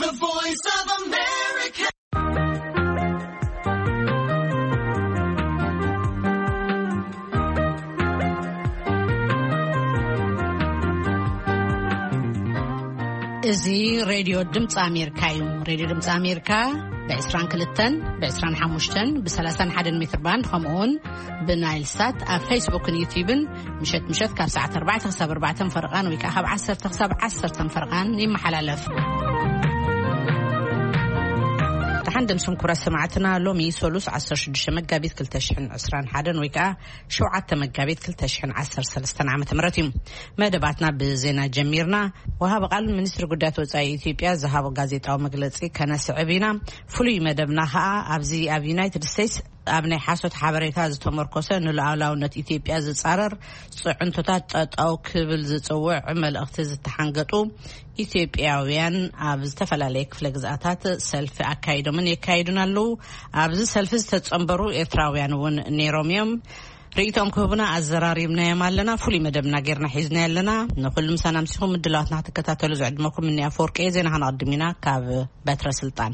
The Voice of America. እዚ ሬድዮ ድምፂ ኣሜሪካ እዩ። ሬድዮ ድምፂ ኣሜሪካ ብ22፣ ብ25፣ ብ31 ሜትር ባንድ፣ ከምኡውን ብናይል ሳት ኣብ ፌስቡክን ዩቲዩብን ምሸት ምሸት ካብ ሰዓት ኣርባዕተ ክሳብ ኣርባዕተ ፈረቓን ወይ ከዓ ካብ ዓሰርተ ክሳብ ዓሰርተ ፈረቓን ይመሓላለፍ። ደሓን ደምስም ክቡራት ሰማዕትና፣ ሎሚ ሰሉስ ዓሰርተ ሽዱሽተ መጋቢት ክልተ ሽሕን ዕስራን ሓደን ወይ ከዓ ሸውዓተ መጋቢት ክልተ ሽሕን ዓሰርተ ሰለስተን ዓመተ ምህረት እዩ። መደባትና ብዜና ጀሚርና። ወሃቢ ቃል ሚኒስትሪ ጉዳያት ወጻኢ ኢትዮጵያ ዝሃቦ ጋዜጣዊ መግለጺ ከነስዕብ ኢና። ፍሉይ መደብና ከዓ ኣብዚ ኣብ ዩናይትድ ስቴትስ ኣብ ናይ ሓሶት ሓበሬታ ዝተመርኮሰ ንሉዓላውነት ኢትዮጵያ ዝጻረር ጽዕንቶታት ጠጠው ክብል ዝጽውዕ መልእኽቲ ዝተሓንገጡ ኢትዮጵያውያን ኣብ ዝተፈላለየ ክፍለ ግዝኣታት ሰልፊ ኣካይዶምን የካይዱን ኣለዉ። ኣብዚ ሰልፊ ዝተጸንበሩ ኤርትራውያን እውን ነይሮም እዮም። ርእይቶም ክህቡና ኣዘራሪብናዮም ኣለና። ፍሉይ መደብና ጌርና ሒዝና ኣለና። ንኹሉ ምሳና ምሲኹም ምድላዋትና ክትከታተሉ ዝዕድመኩም እኒ ኣፈወርቂ እየ። ዜና ከነቐድም ኢና ካብ በትረ ስልጣን።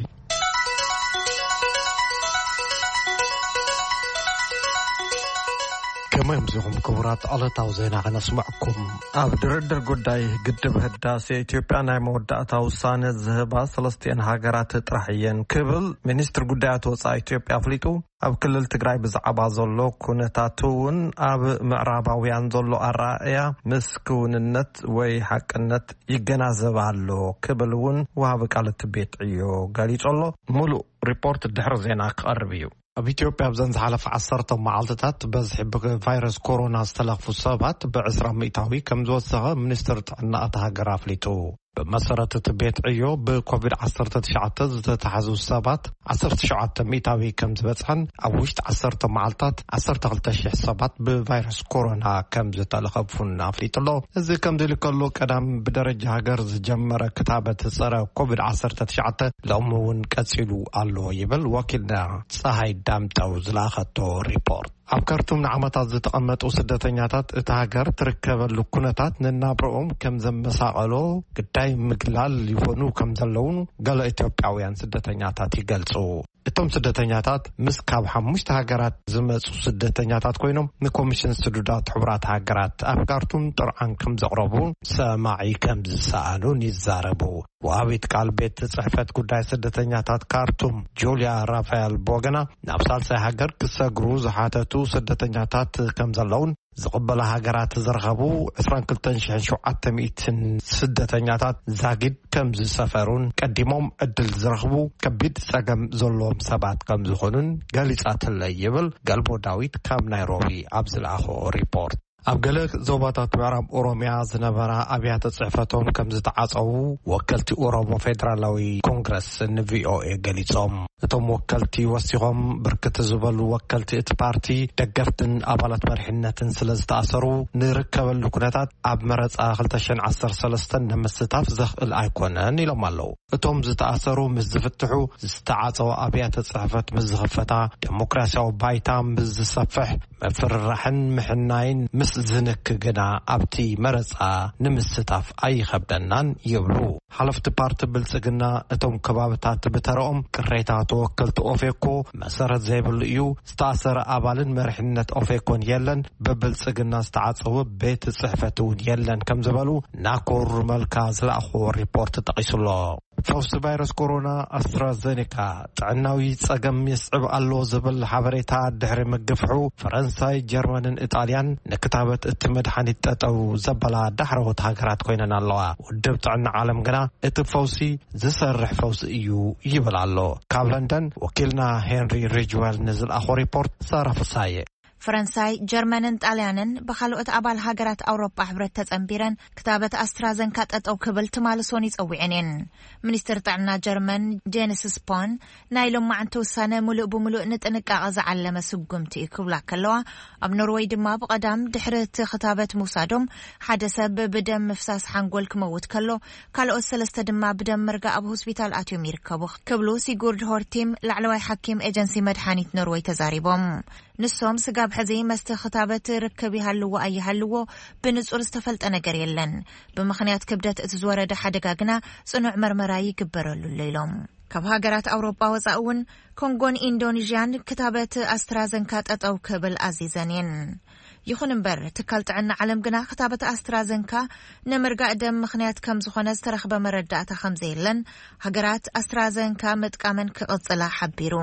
ከመይ ኣምሲኹም ክቡራት? ዕለታዊ ዜና ከነስምዐኩም። ኣብ ድርድር ጉዳይ ግድብ ህዳሴ ኢትዮጵያ ናይ መወዳእታ ውሳነ ዝህባ ሰለስቲአን ሃገራት ጥራሕ እየን ክብል ሚኒስትር ጉዳያት ወጻኢ ኢትዮጵያ ኣፍሊጡ። ኣብ ክልል ትግራይ ብዛዕባ ዘሎ ኩነታት እውን ኣብ ምዕራባውያን ዘሎ ኣረኣእያ ምስ ክውንነት ወይ ሓቅነት ይገናዘብ ኣሎ ክብል እውን ወሃቢ ቃል እቲ ቤት ዕዮ ገሊጹ ኣሎ። ሙሉእ ሪፖርት ድሕሪ ዜና ክቐርብ እዩ። ኣብ ኢትዮጵያ ኣብዘን ዝሓለፈ ዓሰርተ መዓልትታት በዝሒ ብቫይረስ ኮሮና ዝተለኽፉ ሰባት ብ20% ከም ዝወሰኸ ሚኒስትር ጥዕና እታ ሃገር ኣፍሊጡ። ብመሰረት እቲ ቤት ዕዮ ብኮቪድ-19 ዝተታሕዙ ሰባት ዓሰርተ ሸውዓተ ሚእታዊ ከም ዝበጽሐን ኣብ ውሽጢ ዓሰርተ መዓልታት ዓሰርተ ክልተ ሽሕ ሰባት ብቫይረስ ኮሮና ከም ዝተለኸፉን ኣፍሊጡ ኣሎ። እዚ ከምዚ ኢሉ ከሎ ቀዳም ብደረጃ ሃገር ዝጀመረ ክታበት ጸረ ኮቪድ-19 ሎሚ እውን ቀጺሉ ኣሎ ይብል ወኪልና ጸሃይ ዳምጠው ዝለኣኸቶ ሪፖርት። ኣብ ካርቱም ንዓመታት ዝተቐመጡ ስደተኛታት እታ ሃገር ትርከበሉ ኩነታት ንናብረኦም ከም ዘመሳቐሎ ግዳይ ምግላል ይኾኑ ከም ዘለውን ገለ ኢትዮጵያውያን ስደተኛታት ይገልጹ። እቶም ስደተኛታት ምስ ካብ ሓሙሽተ ሃገራት ዝመጹ ስደተኛታት ኮይኖም ንኮሚሽን ስዱዳት ሕቡራት ሃገራት ኣብ ካርቱም ጥርዓን ከም ዘቕረቡ ሰማዒ ከም ዝሰኣኑን ይዛረቡ። ወሃቢት ቃል ቤት ጽሕፈት ጉዳይ ስደተኛታት ካርቱም ጁልያ ራፋኤል ቦገና ናብ ሳልሳይ ሃገር ክሰግሩ ዝሓተቱ ስደተኛታት ከም ዘለውን ዝቕበላ ሃገራት ዝረኸቡ ዕስራን ክልተን ሽሕን ሸውዓተ ሚእትን ስደተኛታት ዛጊድ ከም ዝሰፈሩን ቀዲሞም ዕድል ዝረኽቡ ከቢድ ጸገም ዘለዎም ሰባት ከም ዝኾኑን ገሊጻትለይ ይብል ገልቦ ዳዊት ካብ ናይሮቢ ኣብ ዝለኣኾ ሪፖርት። ኣብ ገለ ዞባታት ምዕራብ ኦሮሚያ ዝነበራ ኣብያተ ጽሕፈቶም ከም ዝተዓጸዉ ወከልቲ ኦሮሞ ፌደራላዊ ኮንግረስ ንቪኦኤ ገሊጾም። እቶም ወከልቲ ወሲኾም ብርክት ዝበሉ ወከልቲ እቲ ፓርቲ ደገፍትን ኣባላት መሪሕነትን ስለ ዝተኣሰሩ ንርከበሉ ኩነታት ኣብ መረጻ ክልተ ሽሕን ዓሰርተ ሰለስተን ንምስታፍ ዘኽእል ኣይኮነን ኢሎም ኣለዉ። እቶም ዝተኣሰሩ ምስ ዝፍትሑ ዝተዓጸወ ኣብያተ ጽሕፈት ምስ ዝኽፈታ ደሞክራሲያዊ ባይታ ምስ ዝሰፍሕ ምፍርራሕን ምሕናይን ምስ ዝንክ ግና ኣብቲ መረጻ ንምስታፍ ኣይኸብደናን ይብሉ። ሓለፍቲ ፓርቲ ብልጽግና እቶም ከባብታት ብተረኦም ቅሬታ ተወከልቲ ኦፌኮ መሰረት ዘይብሉ እዩ፣ ዝተኣሰረ ኣባልን መሪሕነት ኦፌኮን የለን፣ ብብልጽግና ዝተዓጸወ ቤት ጽሕፈት እውን የለን ከም ዝበሉ ናኮር መልካ ዝለኣኽዎ ሪፖርት ጠቒሱሎ። ፈውሲ ቫይረስ ኮሮና ኣስትራዘኔካ ጥዕናዊ ጸገም የስዕብ ኣሎ ዝብል ሓበሬታ ድሕሪ ምግፍሑ፣ ፈረንሳይ፣ ጀርመንን ኢጣልያን ንክታበት እቲ መድሓኒት ጠጠው ዘበላ ዳሕረዎት ሃገራት ኮይነን ኣለዋ። ውድብ ጥዕና ዓለም ግና እቲ ፈውሲ ዝሰርሕ ፈውሲ እዩ ይብል ኣሎ። ካብ ለንደን ወኪልና ሄንሪ ሪጅዌል ንዝለኣኾ ሪፖርት ሳራ ፍሳየ። ፈረንሳይ፣ ጀርመንን ጣልያንን ብኻልኦት ኣባል ሃገራት ኣውሮጳ ሕብረት ተጸንቢረን ክታበት ኣስትራዘንካ ጠጠው ክብል ትማሊ ሶኒ ጸዊዐን እየን። ሚኒስትር ጥዕና ጀርመን ጄንስ ስፖን ናይ ሎማዓንቲ ውሳነ ምሉእ ብምሉእ ንጥንቃቐ ዝዓለመ ስጉምቲ እዩ ክብላ ከለዋ፣ ኣብ ኖርወይ ድማ ብቐዳም ድሕሪ እቲ ክታበት ምውሳዶም ሓደ ሰብ ብደም ምፍሳስ ሓንጎል ክመውት ከሎ፣ ካልኦት ሰለስተ ድማ ብደም ምርጋእ ኣብ ሆስፒታል ኣትዮም ይርከቡ ክብሉ ሲጉርድ ሆርቲም ላዕለዋይ ሓኪም ኤጀንሲ መድሓኒት ኖርወይ ተዛሪቦም። ንሶም ስጋ ኣብ ሕዚ መስተ ክታበት ርክብ ይሃልዎ ኣይሃልዎ ብንጹር ዝተፈልጠ ነገር የለን። ብምኽንያት ክብደት እቲ ዝወረደ ሓደጋ ግና ጽኑዕ መርመራ ይግበረሉ ኣሎ ኢሎም። ካብ ሃገራት ኣውሮጳ ወጻኢ እውን ኮንጎን ኢንዶኔዥያን ክታበት ኣስትራዘንካ ጠጠው ክብል ኣዚዘን እየን። ይኹን እምበር ትካል ጥዕና ዓለም ግና ክታበት ኣስትራዘንካ ንምርጋእ ደም ምኽንያት ከም ዝኾነ ዝተረኽበ መረዳእታ ከም ዘየለን፣ ሃገራት ኣስትራዘንካ ምጥቃመን ክቕጽላ ሓቢሩ።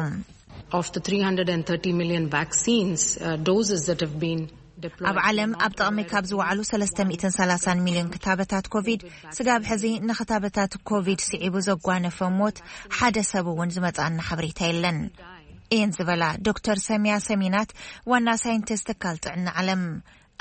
Of the three hundred and thirty million vaccines uh, doses that have been deployed, ኣብ ዓለም ኣብ ጥቕሚ ካብ ዝወዓሉ ሰለስተ ሚእትን ሰላሳን ሚልዮን ክታበታት ኮቪድ፣ ስጋብ ሕዚ ንክታበታት ኮቪድ ስዒቡ ዘጓነፈ ሞት ሓደ ሰብ እውን ዝመጽኣና ሓበሬታ የለን እየን ዝበላ ዶክተር ሰሚያ ሰሚናት፣ ዋና ሳይንቲስት ትካል ጥዕና ዓለም።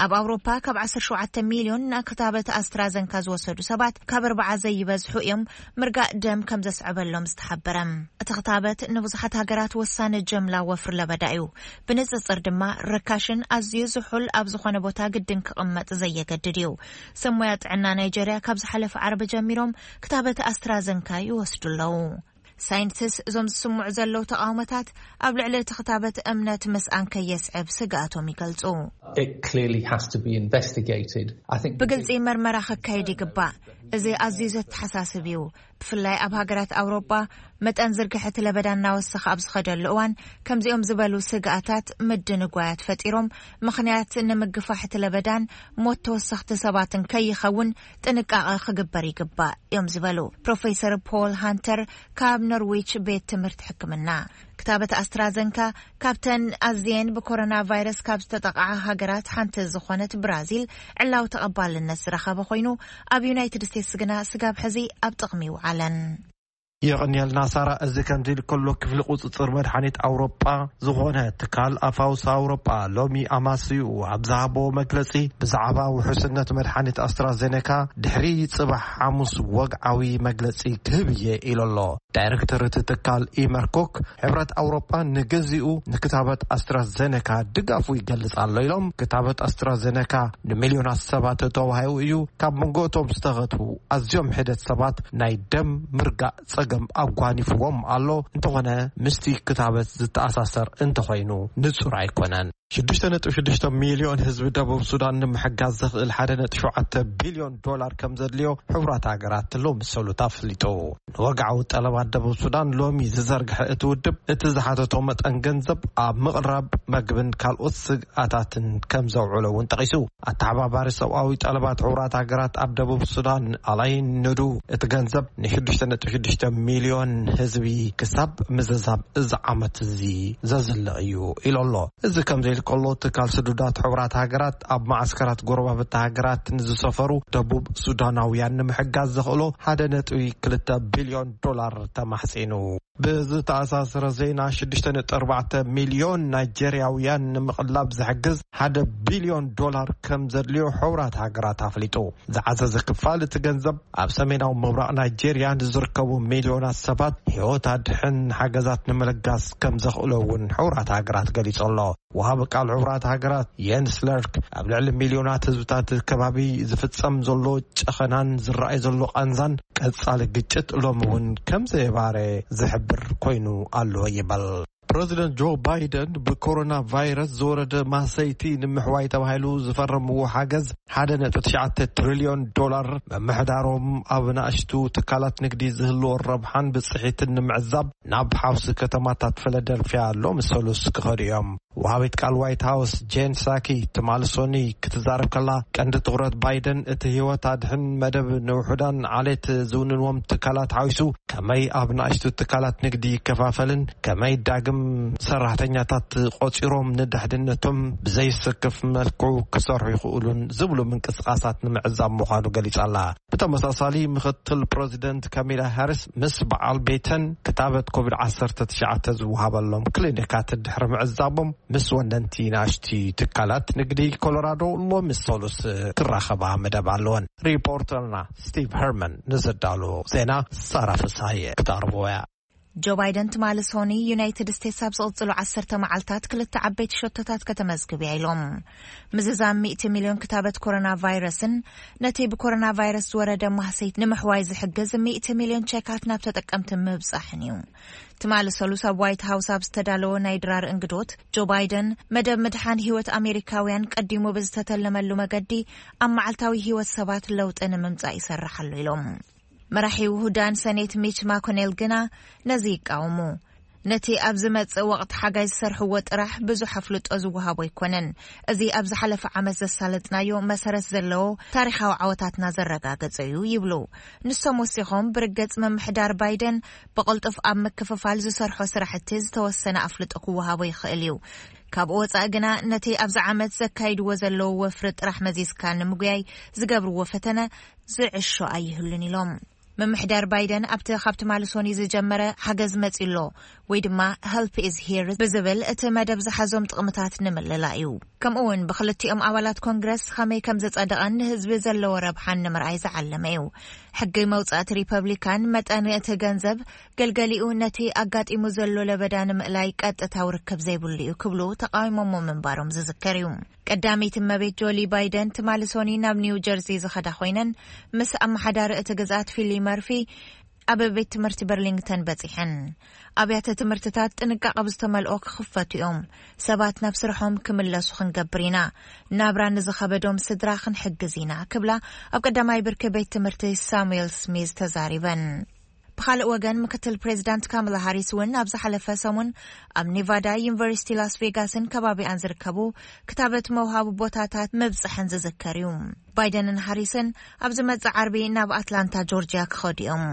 ኣብ ኣውሮፓ ካብ ዓሰርተ ሸውዓተ ሚልዮን ንክታበት ኣስትራዘንካ ዝወሰዱ ሰባት ካብ ኣርባዓ ዘይበዝሑ እዮም ምርጋእ ደም ከም ዘስዕበሎም ዝተሓበረ። እቲ ክታበት ንብዙሓት ሃገራት ወሳኒ ጀምላ ወፍሪ ለበዳ እዩ። ብንጽጽር ድማ ርካሽን ኣዝዩ ዝሑል ኣብ ዝኾነ ቦታ ግድን ክቕመጥ ዘየገድድ እዩ። ሰብ ሞያ ጥዕና ናይጀርያ ካብ ዝሓለፈ ዓርቢ ጀሚሮም ክታበት ኣስትራዘንካ ይወስዱ ኣለዉ። ሳይንቲስት እዞም ዝስምዑ ዘለዉ ተቓውሞታት ኣብ ልዕሊ እቲ ክታበት እምነት ምስኣን ከየስዕብ ስግኣቶም ይገልጹ። It clearly has to be investigated. I think ብግልጺ መርመራ ክካየድ ይግባእ። እዚ ኣዝዩ ዘተሓሳስብ እዩ። ብፍላይ ኣብ ሃገራት ኣውሮጳ መጠን ዝርግሐ እቲ ለበዳ እናወሰኸ ኣብ ዝኸደሉ እዋን ከምዚኦም ዝበሉ ስግኣታት ምድንጓያት ፈጢሮም ምኽንያት ንምግፋሕ እቲ ለበዳን ሞት ተወሰኽቲ ሰባትን ከይኸውን ጥንቃቐ ክግበር ይግባእ እዮም ዝበሉ ፕሮፌሰር ፖል ሃንተር ካብ ኖርዊች ቤት ትምህርቲ ሕክምና። ክታበት ኣስትራዘንካ ካብተን ኣዝየን ብኮሮና ቫይረስ ካብ ዝተጠቕዓ ሃገራት ሓንቲ ዝኾነት ብራዚል ዕላዊ ተቐባልነት ዝረኸበ ኮይኑ፣ ኣብ ዩናይትድ ስቴትስ ግና ስጋብ ሕዚ ኣብ ጥቕሚ ይውዓለን። የቐንየልና ሳራ። እዚ ከምዚ ኢሉ ከሎ ክፍሊ ቁፅፅር መድሓኒት ኣውሮጳ ዝኾነ ትካል ኣፋውስ ኣውሮጳ ሎሚ ኣማስይኡ ኣብ ዝሃቦ መግለፂ ብዛዕባ ውሑስነት መድሓኒት ኣስትራዜኔካ ድሕሪ ፅባሕ ሓሙስ ወግዓዊ መግለፂ ክህብ እየ ኢሉ ኣሎ። ዳይሬክተር እቲ ትካል ኢመርኮክ ሕብረት ኣውሮጳ ንግዚኡ ንክታበት ኣስትራዜኔካ ድጋፉ ይገልፅ ኣሎ ኢሎም። ክታበት ኣስትራዜኔካ ንሚልዮናት ሰባት ተዋሂቡ እዩ። ካብ መንጎ እቶም ዝተኸትቡ ኣዝዮም ሕደት ሰባት ናይ ደም ምርጋእ ጸገም ኣጓኒፍዎም ኣሎ። እንተኾነ ምስቲ ክታበት ዝተኣሳሰር እንተኾይኑ ንጹር ኣይኮነን። ሽዱሽተ ነጥቢ ሽዱሽተ ሚልዮን ህዝቢ ደቡብ ሱዳን ንምሕጋዝ ዘኽእል ሓደ ነጥቢ ሸውዓተ ቢልዮን ዶላር ከም ዘድልዮ ሕቡራት ሃገራት ሎሚ ሰሉት ኣፍሊጡ። ንወግዓዊ ጠለባት ደቡብ ሱዳን ሎሚ ዝዘርግሐ እቲ ውድብ፣ እቲ ዝሓተቶ መጠን ገንዘብ ኣብ ምቕራብ መግብን ካልኦት ስግኣታትን ከም ዘውዕሎ እውን ጠቒሱ። ኣተሓባባሪ ሰብኣዊ ጠለባት ሕቡራት ሃገራት ኣብ ደቡብ ሱዳን ኣላይን ንዱ፣ እቲ ገንዘብ ንሽዱሽተ ነጥቢ ሽዱሽተ ሚልዮን ህዝቢ ክሳብ ምዝዛብ እዚ ዓመት እዚ ዘዝልቕ እዩ ኢሉ ኣሎ። እዚ ከምዚ ኢሉ ከሎ፣ ትካል ስዱዳት ሕቡራት ሃገራት ኣብ ማዓስከራት ጎረባብቲ ሃገራት ንዝሰፈሩ ደቡብ ሱዳናውያን ንምሕጋዝ ዘኽእሎ ሓደ ነጥቢ ክልተ ቢልዮን ዶላር ተማሕጺኑ። ብዝተኣሳሰረ ዜና፣ ሽዱሽተ ነጥቢ ኣርባዕተ ሚልዮን ናይጀርያውያን ንምቕላብ ዝሕግዝ ሓደ ቢልዮን ዶላር ከም ዘድልዮ ሕቡራት ሃገራት ኣፍሊጡ። ዝዓዘዘ ክፋል እቲ ገንዘብ ኣብ ሰሜናዊ ምብራቕ ናይጀርያ ንዝርከቡ ሚልዮናት ሰባት ህይወት ኣድሕን ሓገዛት ንምልጋስ ከም ዘኽእሎ እውን ሕቡራት ሃገራት ገሊጹ ኣሎ። ወሃቢ ቃል ሕቡራት ሃገራት የንስ ለርክ ኣብ ልዕሊ ሚልዮናት ህዝብታት ከባቢ ዝፍጸም ዘሎ ጨኸናን ዝረኣይ ዘሎ ቃንዛን ቀጻሊ ግጭት ሎሚ እውን ከም ዘየባረ ዝሕብር ኮይኑ ኣሎ ይበል። ፕረዚደንት ጆ ባይደን ብኮሮና ቫይረስ ዝወረደ ማሰይቲ ንምሕዋይ ተባሂሉ ዝፈረምዎ ሓገዝ ሓደ ነጥቢ ትሽዓተ ትሪልዮን ዶላር፣ መምሕዳሮም ኣብ ናእሽቱ ትካላት ንግዲ ዝህልዎ ረብሓን ብፅሒትን ንምዕዛብ ናብ ሓውሲ ከተማታት ፊላደልፊያ ሎሚ ሰሉስ ክኸዱ እዮም። ወሃቢት ቃል ዋይት ሃውስ ጄን ሳኪ ትማሊ ሰኑይ ክትዛረብ ከላ፣ ቀንዲ ትኹረት ባይደን እቲ ህይወት ኣድሕን መደብ ንውሑዳን ዓሌት ዝውንንዎም ትካላት ሓዊሱ ከመይ ኣብ ናእሽቱ ትካላት ንግዲ ይከፋፈልን ከመይ ዳግም ሰራሕተኛታት ቆፂሮም ንድሕንነቶም ብዘይስክፍ መልክዑ ክሰርሑ ይኽእሉን ዝብሉ ምንቅስቃሳት ንምዕዛብ ምዃኑ ገሊጻ ኣላ። ብተመሳሳሊ፣ ምኽትል ፕረዚደንት ካሚላ ሃሪስ ምስ በዓል ቤተን ክታበት ኮቪድ ዓሰርተ ትሽዓተ ዝወሃበሎም ክሊኒካት ድሕሪ ምዕዛቦም፣ ምስ ወነንቲ ናሽቲ ትካላት ንግዲ ኮሎራዶ ሎሚ ሰሉስ ክራኸባ መደብ ኣለወን። ሪፖርተርና ስቲቭ ሄርመን ንዘዳሎ ዜና ሳራ ፍስሃየ ክተቕርብዎ እያ። ጆ ባይደን ትማሊ ሶኒ፣ ዩናይትድ ስቴትስ ኣብ ዝቕጽሉ ዓሰርተ መዓልታት ክልተ ዓበይቲ ሸቶታት ከተመዝግብ እያ ኢሎም። ምዝዛም ሚእቲ ሚልዮን ክታበት ኮሮና ቫይረስን ነቲ ብኮሮና ቫይረስ ዝወረደ ማህሰይት ንምሕዋይ ዝሕግዝ ሚእቲ ሚልዮን ቸካት ናብ ተጠቀምቲ ምብጻሕን እዩ። ትማሊ ሰሉስ ኣብ ዋይት ሃውስ ኣብ ዝተዳለወ ናይ ድራር እንግዶት፣ ጆ ባይደን መደብ ምድሓን ህይወት ኣሜሪካውያን ቀዲሙ ብዝተተለመሉ መገዲ ኣብ መዓልታዊ ህይወት ሰባት ለውጢ ንምምጻእ ይሰርሕ ኣሎ ኢሎም። መራሒ ውሁዳን ሰኔት ሚች ማኮኔል ግና ነዚ ይቃወሙ። ነቲ ኣብ ዝመጽእ ወቕቲ ሓጋይ ዝሰርሕዎ ጥራሕ ብዙሕ ኣፍልጦ ዝወሃቦ ኣይኮነን። እዚ ኣብ ዝሓለፈ ዓመት ዘሳለጥናዮ መሰረት ዘለዎ ታሪኻዊ ዓወታትና ዘረጋገጸ እዩ ይብሉ። ንሶም ወሲኾም፣ ብርግጽ ምምሕዳር ባይደን ብቕልጡፍ ኣብ ምክፍፋል ዝሰርሖ ስራሕቲ ዝተወሰነ ኣፍልጦ ክወሃቦ ይኽእል እዩ። ካብኡ ወጻኢ ግና ነቲ ኣብዚ ዓመት ዘካይድዎ ዘለዉ ወፍሪ ጥራሕ መዚዝካ ንምጉያይ ዝገብርዎ ፈተነ ዝዕሾ ኣይህሉን ኢሎም። ምምሕዳር ባይደን ኣብቲ ካብ ትማሊ ሶኒ ዝጀመረ ሓገዝ መጺኡ ኣሎ ወይ ድማ Help is here ብዝብል እቲ መደብ ዝሓዞም ጥቕምታት ንምልላእ እዩ። ከምኡ እውን ብክልቲኦም ኣባላት ኮንግረስ ከመይ ከም ዝጸደቐን ንህዝቢ ዘለዎ ረብሓን ንምርኣይ ዝዓለመ እዩ። ሕጊ መውጻእቲ ሪፐብሊካን መጠን እቲ ገንዘብ ገልገሊኡ ነቲ ኣጋጢሙ ዘሎ ለበዳ ንምእላይ ቀጥታዊ ርክብ ዘይብሉ እዩ ክብሉ ተቃዊሞሞ ምንባሮም ዝዝከር እዩ። ቀዳመይቲ እመቤት ጆሊ ባይደን ትማሊ ሶኒ ናብ ኒው ጀርዚ ዝኸዳ ኮይነን፣ ምስ ኣመሓዳሪ እቲ ግዝኣት ፊሊ መርፊ ኣብ ቤት ትምህርቲ በርሊንግተን በጺሐን። ኣብያተ ትምህርትታት ጥንቃቐ ብዝተመልኦ ክኽፈቱ እዮም። ሰባት ናብ ስርሖም ክምለሱ ክንገብር ኢና። ናብራ ንዝኸበዶም ስድራ ክንሕግዝ ኢና ክብላ ኣብ ቀዳማይ ብርኪ ቤት ትምህርቲ ሳሙኤል ስሚዝ ተዛሪበን። ብኻልእ ወገን፣ ምክትል ፕሬዚዳንት ካማላ ሃሪስ እውን ኣብ ዝሓለፈ ሰሙን ኣብ ኔቫዳ ዩኒቨርሲቲ ላስ ቬጋስን ከባቢኣን ዝርከቡ ክታበት መውሃቢ ቦታታት ምብጽሐን ዝዝከር እዩ። ባይደንን ሃሪስን ኣብ ዝመጽእ ዓርቢ ናብ ኣትላንታ ጆርጂያ ክኸዱ እዮም።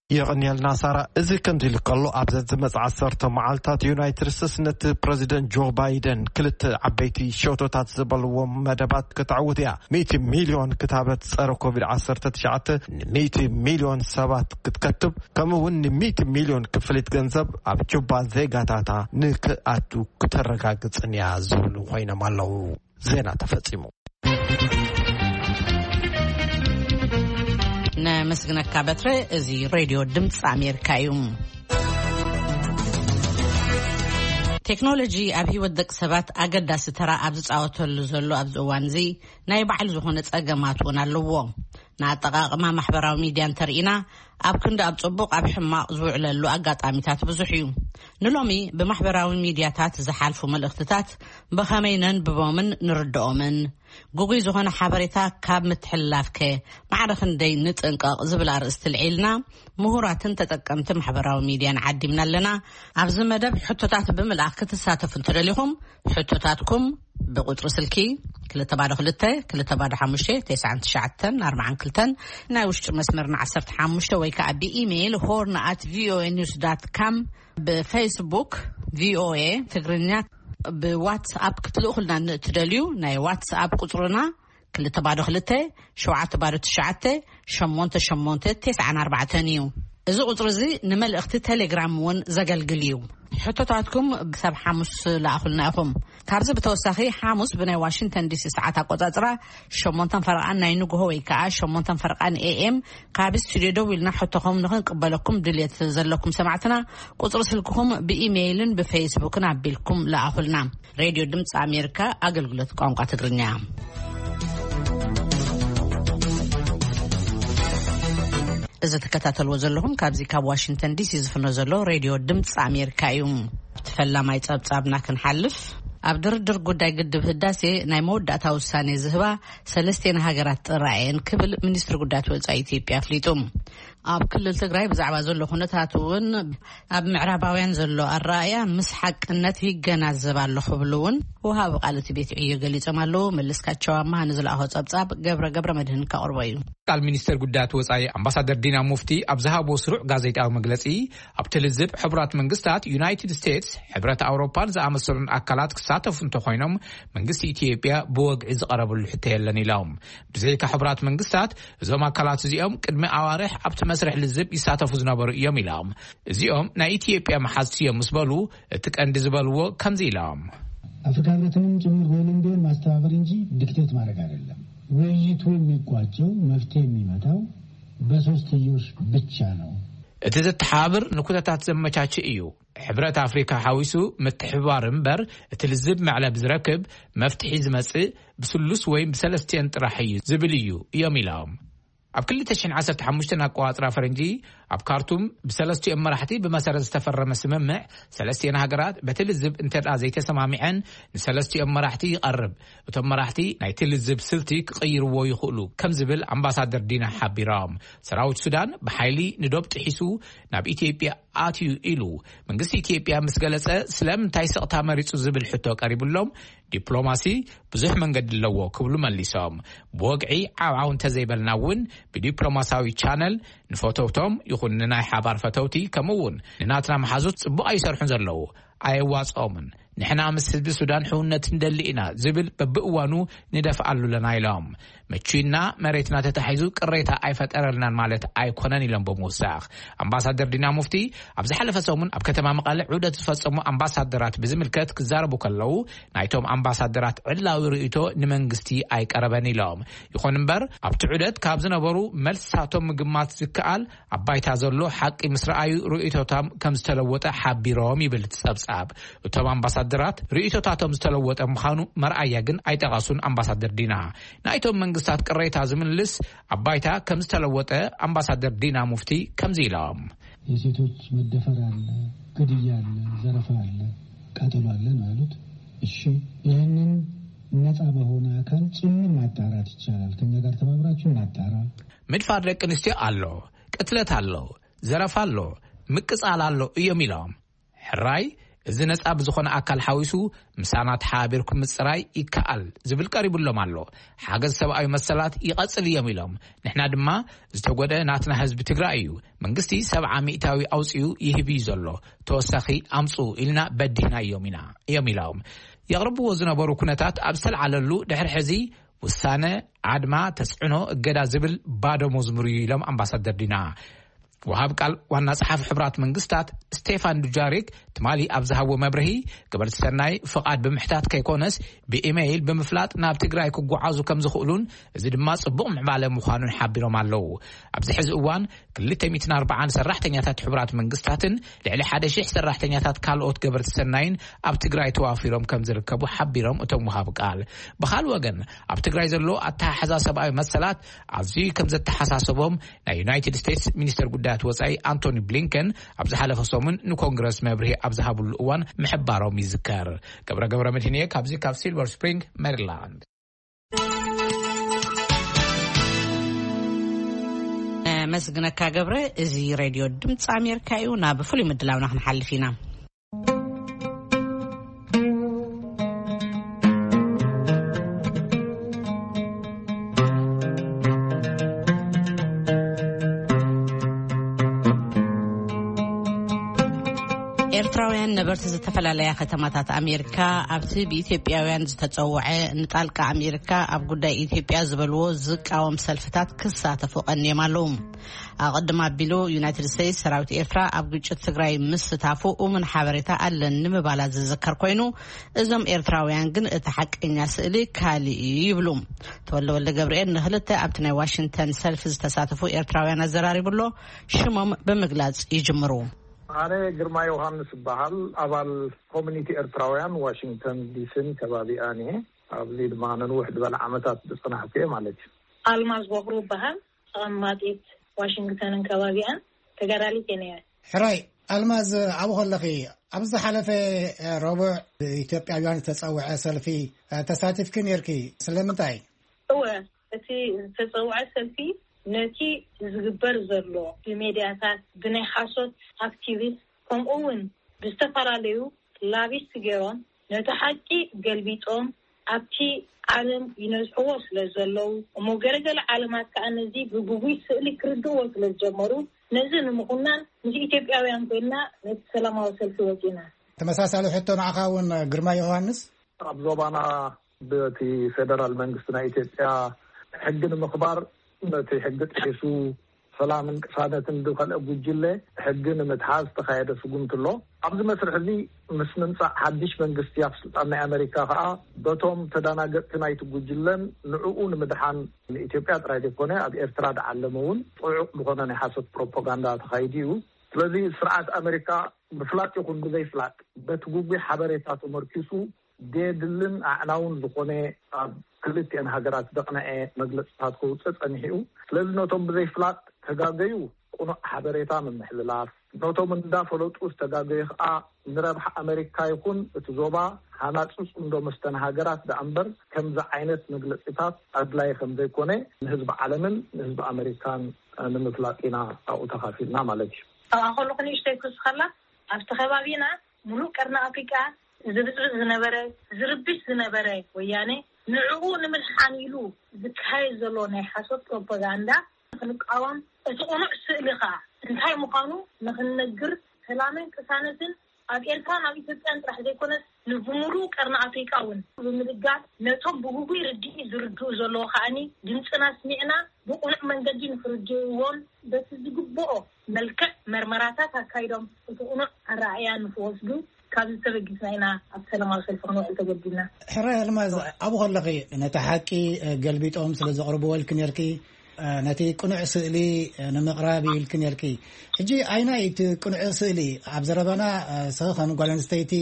የቐንየልና ሳራ። እዚ ከምዚ ኢሉ ከሎ፣ ኣብዘን ዝመጽኣ ዓሰርተ መዓልታት ዩናይትድ ስቴትስ ነቲ ፕረዚደንት ጆ ባይደን ክልተ ዓበይቲ ሸቶታት ዝበልዎም መደባት ከተዕውት እያ። ሚእቲ ሚልዮን ክታበት ጸረ ኮቪድ ዓሰርተ ትሽዓተ ንሚእቲ ሚልዮን ሰባት ክትከትብ፣ ከምኡ እውን ንሚእቲ ሚልዮን ክፍሊት ገንዘብ ኣብ ጁባ ዜጋታታ ንክኣቱ ክተረጋግጽን እያ ዝብሉ ኮይኖም ኣለዉ። ዜና ተፈጺሙ። ነመስግነካ በትረ። እዚ ሬድዮ ድምፂ ኣሜሪካ እዩ። ቴክኖሎጂ ኣብ ህይወት ደቂ ሰባት ኣገዳሲ ተራ ኣብ ዝፃወተሉ ዘሎ ኣብዚ እዋን እዚ፣ ናይ ባዕሉ ዝኾነ ፀገማት እውን ኣለዎ። ንኣጠቓቕማ ማሕበራዊ ሚድያ እንተርኢና፣ ኣብ ክንዲ ኣብ ጽቡቕ፣ ኣብ ሕማቕ ዝውዕለሉ ኣጋጣሚታት ብዙሕ እዩ። ንሎሚ ብማሕበራዊ ሚድያታት ዝሓልፉ መልእኽትታት ብኸመይ ነንብቦምን ንርድኦምን፣ ግጉይ ዝኾነ ሓበሬታ ካብ ምትሕልላፍከ ማዕረ ክንደይ ንጥንቀቕ ዝብል ኣርእስቲ ልዒልና፣ ምሁራትን ተጠቀምቲ ማሕበራዊ ሚድያን ዓዲምና ኣለና። ኣብዚ መደብ ሕቶታት ብምልኣኽ ክትሳተፉ እንተደሊኹም፣ ሕቶታትኩም ብቁጽሪ ስልኪ ክልተ ባዶ ክልተ፣ ክልተ ባዶ ሓሙሽተ፣ ተስዓን ትሽዓተን፣ ኣርባዓን ክልተን፣ ናይ ውሽጢ መስመርና ዓሰርተ ሓሙሽተ፣ ወይ ከኣ ብኢሜይል ሆርን ኣት ቪኦኤ ኒውስ ዳት ካም፣ ብፌስቡክ ቪኦኤ ትግርኛ፣ ብዋትስኣፕ ክትልእኹልና ንእትደልዩ፣ ናይ ዋትስኣፕ ቁጽርና ክልተ ባዶ ክልተ፣ ሸውዓተ ባዶ ትሽዓተ፣ ሸሞንተ ሸሞንተ፣ ተስዓን ኣርባዕተን እዩ። እዚ ቁጽሪ እዚ ንመልእኽቲ ቴሌግራም እውን ዘገልግል እዩ። ሕቶታትኩም ክሳብ ሓሙስ ለኣኹልና ኢኹም። ካብዚ ብተወሳኺ፣ ሓሙስ ብናይ ዋሽንግተን ዲሲ ሰዓት ኣቆጻጽራ ሸሞንተን ፈረቓን ናይ ንግሆ ወይ ከኣ ሸሞንተን ፈረቓን ኤ ኤም ካብ ስቱድዮ ደው ኢልና ሕቶኹም ንኽንቅበለኩም ድልየት ዘለኩም ሰማዕትና፣ ቁጽሪ ስልክኹም ብኢሜይልን ብፌስቡክን ኣቢልኩም ለኣኹልና። ሬድዮ ድምፂ ኣሜሪካ፣ ኣገልግሎት ቋንቋ ትግርኛ። እዚ ትከታተልዎ ዘለኹም ካብዚ ካብ ዋሽንግተን ዲሲ ዝፍኖ ዘሎ ሬድዮ ድምፂ ኣሜሪካ እዩ። ኣብቲ ፈላማይ ጸብጻብና ክንሓልፍ፣ ኣብ ድርድር ጉዳይ ግድብ ህዳሴ ናይ መወዳእታ ውሳኔ ዝህባ ሰለስቴን ሃገራት ጥራይ እየን ክብል ሚኒስትሪ ጉዳያት ወጻኢ ኢትዮጵያ ኣፍሊጡ። ኣብ ክልል ትግራይ ብዛዕባ ዘሎ ኩነታት እውን ኣብ ምዕራባውያን ዘሎ ኣረኣእያ ምስ ሓቅነት ይገናዘብ ኣሎ ክብሉ እውን ወሃቢ ቃል እቲ ቤት ዕዮ ገሊጾም ኣለዉ። መለስካቸው ኣማሃ ንዝለኣኾ ጸብጻብ ገብረ ገብረ መድህን ከቕርቦ እዩ። ቃል ሚኒስተር ጉዳያት ወጻኢ ኣምባሳደር ዲና ሙፍቲ ኣብ ዝሃቦ ስሩዕ ጋዜጣዊ መግለጺ፣ ኣብቲ ልዝብ ሕቡራት መንግስታት፣ ዩናይትድ ስቴትስ፣ ሕብረት ኣውሮፓን ዝኣመሰሉን ኣካላት ክሳተፉ እንተኾይኖም፣ መንግስቲ ኢትዮጵያ ብወግዒ ዝቐረበሉ ሕቶ የለን ኢሎም። ብዘይካ ሕቡራት መንግስታት፣ እዞም ኣካላት እዚኦም ቅድሚ ኣዋርሕ ኣብቲ መስርሕ ልዝብ ይሳተፉ ዝነበሩ እዮም ኢሎም። እዚኦም ናይ ኢትዮጵያ መሓዝቲ እዮም ምስ በሉ፣ እቲ ቀንዲ ዝበልዎ ከምዚ ኢሎም። ኣፍሪካ ህብረትንም ጭምር ጎንም ቢሆን ማስተባበር እንጂ ዲክቴት ማድረግ አይደለም። ውይይቱ የሚቋጨው፣ መፍትሄ የሚመጣው በሶስትዮሽ ብቻ ነው። እቲ ዘተሓባብር ንኩነታት ዘመቻችእ እዩ። ሕብረት ኣፍሪካ ሓዊሱ ምትሕብባር እምበር፣ እቲ ልዝብ መዕለብ ዝረክብ፣ መፍትሒ ዝመጽእ ብስሉስ ወይም ብሰለስቲኦን ጥራሕ እዩ ዝብል እዩ እዮም ኢሎም። ኣብ ክልተ ሽሕን ዓሰርተ ሓሙሽተን ኣቆጻጽራ ፈረንጂ ኣብ ካርቱም ብሰለስቲኦም መራሕቲ ብመሰረት ዝተፈረመ ስምምዕ፣ ሰለስቲኦን ሃገራት በቲ ልዝብ እንተ ደኣ ዘይተሰማሚዐን ንሰለስቲኦም መራሕቲ ይቐርብ። እቶም መራሕቲ ናይቲ ልዝብ ስልቲ ክቕይርዎ ይኽእሉ ከም ዝብል ኣምባሳደር ዲና ሓቢሮም። ሰራዊት ሱዳን ብሓይሊ ንዶብ ጥሒሱ ናብ ኢትዮጵያ ኣትዩ ኢሉ መንግስቲ ኢትዮጵያ ምስ ገለጸ፣ ስለምንታይ ስቕታ መሪጹ ዝብል ሕቶ ቀሪብሎም፣ ዲፕሎማሲ ብዙሕ መንገዲ ኣለዎ ክብሉ መሊሶም። ብወግዒ ዓብዓው እንተዘይበልና እውን ብዲፕሎማሲያዊ ቻነል ንፈተውቶም ይኹን ንናይ ሓባር ፈተውቲ ከምኡ እውን ንናትና መሓዙት ጽቡቕ ኣይሰርሑን ዘለዉ፣ ኣየዋጽኦምን። ንሕና ምስ ህዝቢ ሱዳን ሕውነት እንደሊ ኢና ዝብል በብእዋኑ ንደፍኣሉ ኣለና ኢሎም። ምቹና መሬትና ተታሒዙ ቅሬታ ኣይፈጠረልናን ማለት ኣይኮነን ኢሎም ብምውሳኽ፣ ኣምባሳደር ዲና ሙፍቲ ኣብ ዝሓለፈ ሰሙን ኣብ ከተማ መቐለ ዑደት ዝፈጸሙ ኣምባሳደራት ብዝምልከት ክዛረቡ ከለዉ፣ ናይቶም ኣምባሳደራት ዕላዊ ርእይቶ ንመንግስቲ ኣይቀረበን ኢሎም። ይኹን እምበር ኣብቲ ዑደት ካብ ዝነበሩ መልስታቶም ምግማት ዝከኣል ኣብ ባይታ ዘሎ ሓቂ ምስ ረኣዩ ርእይቶቶም ከም ዝተለወጠ ሓቢሮም ይብል እቲ ጸብጻብ። እቶም ኣምባሳደራት ርእይቶታቶም ዝተለወጠ ምዃኑ መርኣያ ግን ኣይጠቐሱን። ኣምባሳደር ዲና ናይቶም መንግስታት ቅሬታ ዝምልስ ኣብ ባይታ ከም ዝተለወጠ ኣምባሳደር ዲና ሙፍቲ ከምዚ ኢሎም። የሴቶች መደፈር አለ፣ ግድያ አለ፣ ዘረፋ አለ፣ ቃጠሎ አለ ነው ያሉት። እሺ፣ ይህንን ነፃ በሆነ አካል ጭምር ማጣራት ይቻላል። ከኛ ጋር ተባብራችሁ እናጣራ። ምድፋር ደቂ ኣንስትዮ ኣሎ፣ ቅትለት ኣሎ፣ ዘረፋ ኣሎ፣ ምቅጻል ኣሎ እዮም ኢሎም። ሕራይ፣ እዚ ነጻ ብዝኾነ ኣካል ሓዊሱ ምሳና ተሓባቢርኩም ምጽራይ ይከኣል ዝብል ቀሪቡሎም ኣሎ። ሓገዝ ሰብኣዊ መሰላት ይቐጽል እዮም ኢሎም። ንሕና ድማ ዝተጎደ ናትና ህዝቢ ትግራይ እዩ። መንግስቲ ሰብዓ ሚእታዊ ኣውጺኡ ይህብ እዩ ዘሎ። ተወሳኺ ኣምጹ ኢልና በዲህናዮም ኢና እዮም ኢሎም። የቕርብዎ ዝነበሩ ኩነታት ኣብ ዝተልዓለሉ ድሕሪ ሕዚ ውሳነ ኣድማ፣ ተጽዕኖ፣ እገዳ ዝብል ባዶ መዝሙር እዩ ኢሎም ኣምባሳደር ዲና። ወሃብ ቃል ዋና ጸሓፊ ሕቡራት መንግስታት ስቴፋን ዱጃሪክ ትማሊ ኣብ ዝሃቦ መብርሂ፣ ገበርቲ ሰናይ ፍቓድ ብምሕታት ከይኮነስ ብኢሜይል ብምፍላጥ ናብ ትግራይ ክጓዓዙ ከም ዝኽእሉን እዚ ድማ ጽቡቕ ምዕባለ ምዃኑን ሓቢሮም ኣለዉ። ኣብዚ ሕዚ እዋን ክልተ ሚእትን ኣርባዓን ሰራሕተኛታት ሕቡራት መንግስታትን ልዕሊ ሓደ ሺሕ ሰራሕተኛታት ካልኦት ገበርቲ ሰናይን ኣብ ትግራይ ተዋፊሮም ከም ዝርከቡ ሓቢሮም እቶም ወሃብ ቃል። ብኻል ወገን ኣብ ትግራይ ዘሎ ኣተሓሕዛ ሰብኣዊ መሰላት ኣዝዩ ከም ዘተሓሳሰቦም ናይ ዩናይትድ ስቴትስ ሚኒስተር ጉዳያት ወጻኢ ኣንቶኒ ብሊንከን ኣብ ዝሓለፈ ሰሙን ንኮንግረስ መብርሂ ኣብ ዝሃብሉ እዋን ምሕባሮም ይዝከር። ገብረ ገብረ መድህንየ ካብዚ ካብ ሲልቨር ስፕሪንግ ሜሪላንድ። መስግነካ ገብረ። እዚ ሬድዮ ድምፂ ኣሜሪካ እዩ። ናብ ፍሉይ ምድላውና ክንሓልፍ ኢና። ኤርትራውያን ነበርቲ ዝተፈላለያ ከተማታት ኣሜሪካ ኣብቲ ብኢትዮጵያውያን ዝተጸውዐ ንጣልቃ ኣሜሪካ ኣብ ጉዳይ ኢትዮጵያ ዝበልዎ ዝቃወም ሰልፍታት ክሳተፉ ቀንዮም ኣለዉ። ኣቐድም ኣቢሉ ዩናይትድ ስቴትስ ሰራዊት ኤርትራ ኣብ ግጭት ትግራይ ምስታፉ እሙን ሓበሬታ ኣለኒ ምባላ ዝዝከር ኮይኑ፣ እዞም ኤርትራውያን ግን እቲ ሓቀኛ ስእሊ ካልእ እዩ ይብሉ። ተወልደ ወልደ ገብርኤል ንክልተ ኣብቲ ናይ ዋሽንግተን ሰልፊ ዝተሳተፉ ኤርትራውያን ኣዘራሪቡ ኣሎ። ሽሞም ብምግላጽ ይጅምሩ። ኣነ ግርማ ዮሃንስ እበሃል። ኣባል ኮሚኒቲ ኤርትራውያን ዋሽንግተን ዲሲን ከባቢኣን እየ። ኣብዚ ድማ ነንውሕ ዝበለ ዓመታት ዝጸናሕኩ እየ ማለት እዩ። ኣልማዝ ቦኽሩ እበሃል። ተቐማጢት ዋሽንግተንን ከባቢኣን ተጋዳሊት እየ ነይረ። ሕራይ ኣልማዝ፣ ኣብኡ ከለኺ ኣብ ዝሓለፈ ረቡዕ ኢትዮጵያውያን ዝተጸውዐ ሰልፊ ተሳቲፍኪ ነይርኪ። ስለምንታይ? እወ፣ እቲ ዝተጸውዐ ሰልፊ ነቲ ዝግበር ዘሎ ብሜድያታት፣ ብናይ ሓሶት ኣክቲቪስት፣ ከምኡ እውን ብዝተፈላለዩ ላቢስት ገይሮም ነቲ ሓቂ ገልቢጦም ኣብቲ ዓለም ይነዝሕዎ ስለ ዘለዉ፣ እሞ ገለገለ ዓለማት ከኣ ነዚ ብግጉይ ስእሊ ክርድእዎ ስለ ዝጀመሩ፣ ነዚ ንምኹናን ምስ ኢትዮጵያውያን ኮይንና ነቲ ሰላማዊ ሰልፊ ወጺና። ተመሳሳሊ ሕቶ ንዓኻ እውን ግርማ ዮሃንስ። ኣብ ዞባና በቲ ፌደራል መንግስቲ ናይ ኢትዮጵያ ሕጊ ንምኽባር፣ ነቲ ሕጊ ጥሒሱ ሰላምን ቅሳነትን ዝኸልአ ጉጅለ ሕጊ ንምትሓዝ ዝተኻየደ ስጉምቲ ኣሎ። ኣብዚ መስርሕ እዚ ምስ ምምጻእ ሓድሽ መንግስቲ ኣብ ስልጣን ናይ ኣመሪካ ከኣ በቶም ተዳናገጥቲ ናይቲ ጉጅለን ንዕኡ ንምድሓን ንኢትዮጵያ ጥራይ ዘይኮነ ኣብ ኤርትራ ዝዓለመ እውን ጽዑቕ ዝኾነ ናይ ሓሶት ፕሮፓጋንዳ ተኻይዱ እዩ። ስለዚ ስርዓት ኣመሪካ ብፍላጥ ይኹን ብዘይፍላጥ በቲ ግጉይ ሓበሬታ ተመርኪሱ ደድልን ኣዕናውን ዝኾነ ኣብ ክልቲኤን ሃገራት ዘቕነዐ መግለፅታት ከውፅእ ጸኒሑ እዩ። ስለዚ ነቶም ብዘይፍላጥ ተጋገዩ ቅኑዕ ሓበሬታ ምምሕልላፍ፣ ነቶም እንዳፈለጡ ዝተጋገዩ ከዓ ንረብሓ ኣመሪካ ይኹን እቲ ዞባ ሃናፂ ፅምዶ መስተን ሃገራት ደኣ እምበር ከምዚ ዓይነት መግለፂታት ኣድላይ ከም ዘይኮነ ንህዝቢ ዓለምን ንህዝቢ ኣመሪካን ንምፍላጥ ኢና ኣብኡ ተኻፊልና ማለት እዩ። ኣብኣ ከለኹ ንእሽተይ ክውስኸላ ኣብቲ ከባቢና ሙሉእ ቀርኒ ኣፍሪቃ ዝብፅብፅ ዝነበረ ዝርብሽ ዝነበረ ወያነ ንዕኡ ንምድሓን ኢሉ ዝካየድ ዘሎ ናይ ሓሶት ፕሮፓጋንዳ ክንቃወም እቲ ቅኑዕ ስእሊ ከዓ እንታይ ምዃኑ ንክንነግር ሰላምን ቅሳነትን ኣብ ኤርትራን ኣብ ኢትዮጵያን ጥራሕ ዘይኮነስ ንብሙሉእ ቀርኒ ኣፍሪቃ እውን ብምድጋፍ ነቶም ብግጉይ ርድኢት ዝርድኡ ዘለዉ ከዓኒ ድምፅና ኣስሚዕና ብቕኑዕ መንገዲ ንክርድእዎን በቲ ዝግብኦ መልክዕ መርመራታት ኣካይዶም እቲ ቅኑዕ ኣረኣእያ ንክወስዱ ካብ ዝተበጊስና ኢና ኣብ ሰላማዊ ሰልፊ ክንውዕል ተገዲድና። ሕራይ ኣልማዝ ኣብኡ ከለኺ ነቲ ሓቂ ገልቢጦም ስለ ዘቕርብዎ ኢልኪ ነርኪ ነቲ ቅኑዕ ስእሊ ንምቕራብ ኢልኪ ነርኪ። ሕጂ ኣይናይ እቲ ቅኑዕ ስእሊ ኣብ ዘረባና ስኺ ከም ጓል ኣንስተይቲ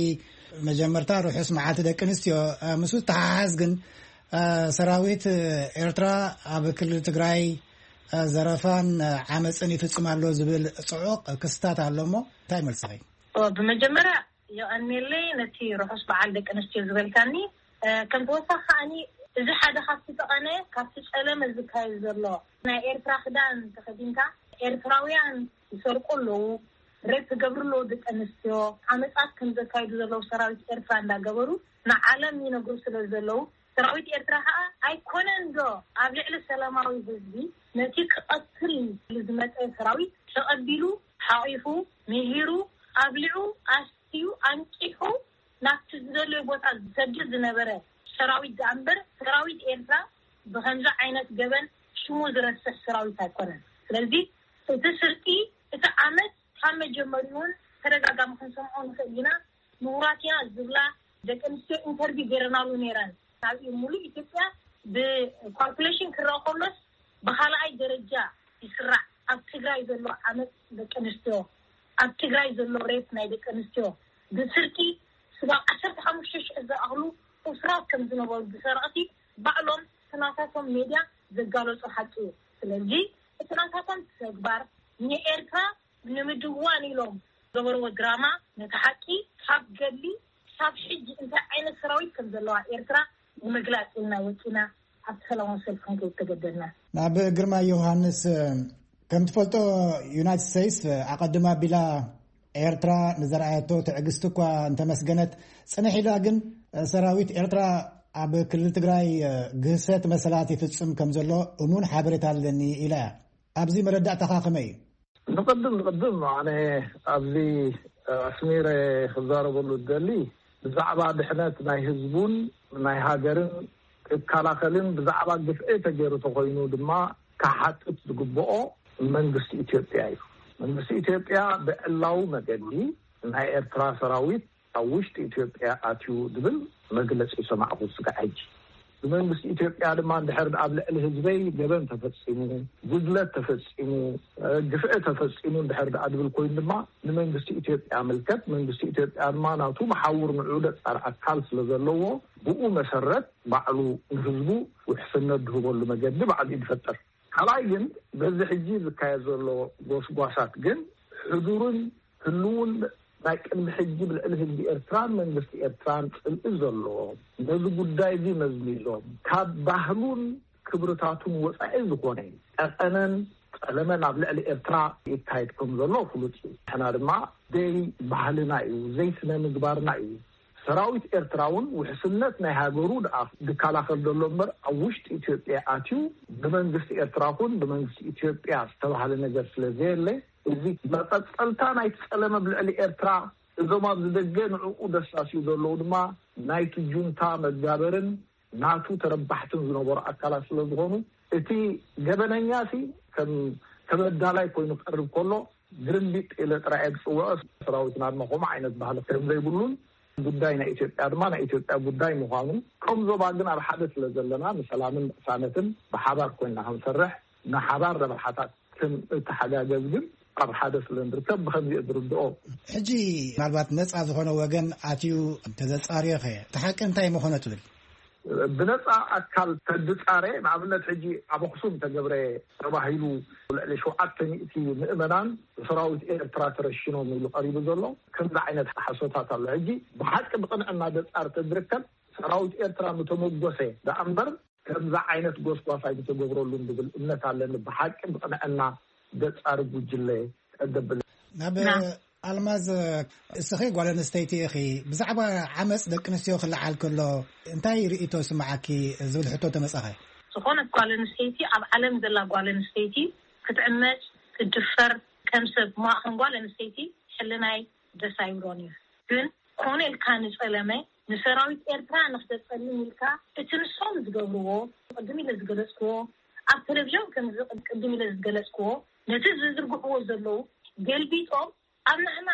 መጀመርታ ርሑስ መዓልቲ ደቂ ኣንስትዮ ምስ ዝተሓሓዝ ግን ሰራዊት ኤርትራ ኣብ ክልል ትግራይ ዘረፋን ዓመፅን ይፍፅም ኣሎ ዝብል ፅዑቕ ክስታት ኣሎ እሞ እንታይ መልስኺ? ብመጀመርያ የቐንየለይ ነቲ ርሑስ በዓል ደቂ ኣንስትዮ ዝበልካኒ። ከም ተወሳኺ ከዓኒ እዚ ሓደ ካብቲ ጠቐነ ካብቲ ጸለመ ዝካየድ ዘሎ ናይ ኤርትራ ክዳን ተኸዲንካ ኤርትራውያን ይሰርቁ ኣለዉ፣ ሬፕ ይገብሩ ኣለዉ ደቂ ኣንስትዮ፣ ዓመጻት ከም ዘካይዱ ዘለዉ ሰራዊት ኤርትራ እንዳገበሩ ንዓለም ይነግሩ ስለ ዘለዉ ሰራዊት ኤርትራ ከዓ ኣይኮነን ዶ ኣብ ልዕሊ ሰላማዊ ህዝቢ ነቲ ክቐትል ዝመጸ ሰራዊት ተቐቢሉ ሓቒፉ ምሂሩ ኣብሊዑ ኣስትዩ ኣንቂሑ ናብቲ ዝደለዮ ቦታ ዝሰድድ ዝነበረ ሰራዊት ደኣ እምበር ሰራዊት ኤርትራ ብኸምዚ ዓይነት ገበን ሽሙ ዝረስሕ ሰራዊት ኣይኮነን። ስለዚ እቲ ስርቂ እቲ ዓመት ካብ መጀመሪኡ እውን ተደጋጋሚ ክንሰምዖ ንኽእል ኢና። ምሁራት ኢና ዝብላ ደቂ ኣንስትዮ ኢንተርቪው ገይረናሉ ነይረን። ኣብ ሙሉእ ኢትዮጵያ ብኳልኩሌሽን ክረአ ከሎስ ብኻልኣይ ደረጃ ይስራዕ ኣብ ትግራይ ዘሎ ዓመፅ ደቂ ኣንስትዮ፣ ኣብ ትግራይ ዘሎ ሬፕ ናይ ደቂ ኣንስትዮ ብስርቂ ስጋብ ዓሰርተ ሓሙሽተ ሽሕ ዝኣኽሉ እሱራት ከም ዝነበሩ ብሰረቕቲ ባዕሎም እቲ ናታቶም ሜድያ ዘጋለፁ ሓቂ እዩ። ስለዚ እቲ ናታቶም ተግባር ንኤርትራ ንምድዋን ኢሎም ዝገበርዎ ድራማ ነቲ ሓቂ ካብ ገድሊ ክሳብ ሕጂ እንታይ ዓይነት ሰራዊት ከም ዘለዋ ኤርትራ ንምግላፅ ኢልና ወፂና ኣብቲ ሰላማዊ ሰልፊ ክንከይድ ተገደድና። ናብ ግርማ ዮሃንስ ከም ትፈልጦ ዩናይትድ ስቴትስ ኣቐድማ ኣቢላ ኤርትራ ንዘርኣየቶ ትዕግስቲ እኳ እንተመስገነት ጽንሕ ኢላ ግን ሰራዊት ኤርትራ ኣብ ክልል ትግራይ ግህሰት መሰላት ይፍጽም ከም ዘሎ እሙን ሓበሬታ ኣለኒ ኢላ እያ። ኣብዚ መረዳእታኻ ከመይ እዩ? ንቕድም ንቕድም ኣነ ኣብዚ ኣስሚረ ክዛረበሉ ዝደሊ ብዛዕባ ድሕነት ናይ ህዝቡን ናይ ሃገርን ክከላኸልን ብዛዕባ ግፍዒ ተገይሩ ተኾይኑ ድማ ክሓትት ዝግብኦ መንግስቲ ኢትዮጵያ እዩ። መንግስቲ ኢትዮጵያ ብዕላዊ መገዲ ናይ ኤርትራ ሰራዊት ኣብ ውሽጢ ኢትዮጵያ ኣትዩ ዝብል መግለፂ ሰማዕኹ ስጋዕ ሕጂ። ብመንግስቲ ኢትዮጵያ ድማ እንድሕር ኣብ ልዕሊ ህዝበይ ገበን ተፈፂሙ፣ ጉድለት ተፈፂሙ፣ ግፍዒ ተፈፂሙ እንድሕር ደኣ ዝብል ኮይኑ ድማ ንመንግስቲ ኢትዮጵያ ምልከት። መንግስቲ ኢትዮጵያ ድማ ናቱ መሓውር ንዑ ደፃር ኣካል ስለ ዘለዎ ብኡ መሰረት ባዕሉ ንህዝቡ ውሕስነት ዝህበሉ መገዲ ባዕሉ እዩ ዝፈጥር። ካልኣይ ግን በዚ ሕጂ ዝካየድ ዘሎ ጎስጓሳት ግን ሕዱርን ህልውን ናይ ቅድሚ ሕጂ ብልዕሊ ህዝቢ ኤርትራን መንግስቲ ኤርትራን ጽልኢ ዘለዎ ነዚ ጉዳይ እዚ መዝሚዞም ካብ ባህሉን ክብርታቱን ወጻኢ ዝኾነ ጠቐነን ጸለመን ኣብ ልዕሊ ኤርትራ ይካየድ ከም ዘሎ ፍሉጥ እዩ። ንሕና ድማ ዘይ ባህልና እዩ፣ ዘይ ስነ ምግባርና እዩ። ሰራዊት ኤርትራ እውን ውሕስነት ናይ ሃገሩ ደኣ ዝከላኸል ዘሎ እምበር ኣብ ውሽጢ ኢትዮጵያ ኣትዩ ብመንግስቲ ኤርትራ ኹን ብመንግስቲ ኢትዮጵያ ዝተባህለ ነገር ስለ ዘየለ እዚ መቐጸልታ ናይቲ ጸለመ ኣብ ልዕሊ ኤርትራ እዞም ኣብዚ ደገ ንዕኡ ደሳስዩ ዘለዉ ድማ ናይቲ ጁንታ መጋበርን ናቱ ተረባሕትን ዝነበሩ ኣካላት ስለ ዝኾኑ እቲ ገበነኛ ሲ ከም ተበዳላይ ኮይኑ ክቐርብ ከሎ ግርምቢጥ ኢለ ጥራይ እየ ዝፅውዖ። ሰራዊትና ድማ ከምኡ ዓይነት ባህሊ ከም ዘይብሉን ጉዳይ ናይ ኢትዮጵያ ድማ ናይ ኢትዮጵያ ጉዳይ ምዃኑ ከም ዞባ ግን ኣብ ሓደ ስለ ዘለና ንሰላምን ቅሳነትን ብሓባር ኮይንና ክንሰርሕ ንሓባር ረብሓታት ክንተሓጋገዝ ግን ኣብ ሓደ ስለ ንርከብ ብኸምዚ እየ ዝርድኦ። ሕጂ ምናልባት ነጻ ዝኾነ ወገን ኣትዩ እንተዘጻርዮ ኸ እቲ ሓቂ እንታይ ምኾነ ትብል? ብነጻ ኣካል ተድጻረ፣ ንኣብነት ሕጂ ኣብ ኣኽሱም ተገብረ ተባሂሉ ልዕሊ ሸውዓተ ሚእቲ ምእመናን ብሰራዊት ኤርትራ ተረሽኖም ኢሉ ቀሪቡ ዘሎ ከምዚ ዓይነት ሓሶታት ኣሎ። ሕጂ ብሓቂ ብቕንዕና ደጻር ተዝርከብ ሰራዊት ኤርትራ ምተመጎሰ ደኣ እምበር ከምዚ ዓይነት ጎስጓስ ኣይምተገብረሉን ዝብል እምነት ኣለኒ። ብሓቂ ብቕንዕና ደጻር ጉጅለ ቀደብል ናብ ኣልማዝ፣ እስኺ ጓል ኣንስተይቲ ኢኺ፣ ብዛዕባ ዓመፅ ደቂ ኣንስትዮ ክለዓል ከሎ እንታይ ርእይቶ ስምዓኪ ዝብል ሕቶ ተመጻኸ? ዝኾነት ጓል ኣንስተይቲ፣ ኣብ ዓለም ዘላ ጓል ኣንስተይቲ ክትዕመፅ፣ ክትድፈር፣ ከም ሰብ ማእኸን ጓል ኣንስተይቲ ሕልናይ ደስ ኣይብሎን እዩ። ግን ኮነ ኢልካ ንፀለመ ንሰራዊት ኤርትራ ንክተፀልም ኢልካ እቲ ንሶም ዝገብርዎ፣ ቅድም ኢለ ዝገለፅክዎ፣ ኣብ ቴሌቪዥን ከምዚ ቅድም ኢለ ዝገለፅክዎ፣ ነቲ ዝዝርግሕዎ ዘለዉ ገልቢጦም ኣብ ንሕና